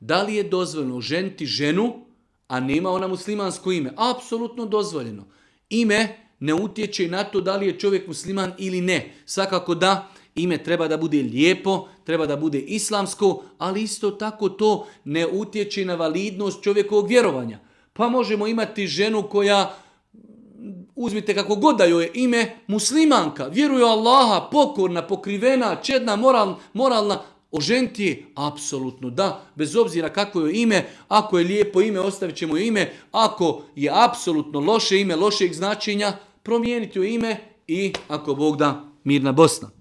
Da li je dozvoljeno ženiti ženu, a nema ona muslimansko ime? Apsolutno dozvoljeno. Ime ne utječe na to da li je čovjek musliman ili ne. Svakako da ime treba da bude lijepo, treba da bude islamsko, ali isto tako to ne utječe na validnost čovjekovog vjerovanja. Pa možemo imati ženu koja, uzmite kako god da joj je ime, muslimanka, vjeruje u Allaha, pokorna, pokrivena, čedna, moralna, oženiti je? Apsolutno da, bez obzira kakvo je ime. Ako je lijepo ime, ostavit ćemo joj ime. Ako je apsolutno loše ime, lošeg značenja, promijeniti joj ime i ako Bog da, mirna Bosna.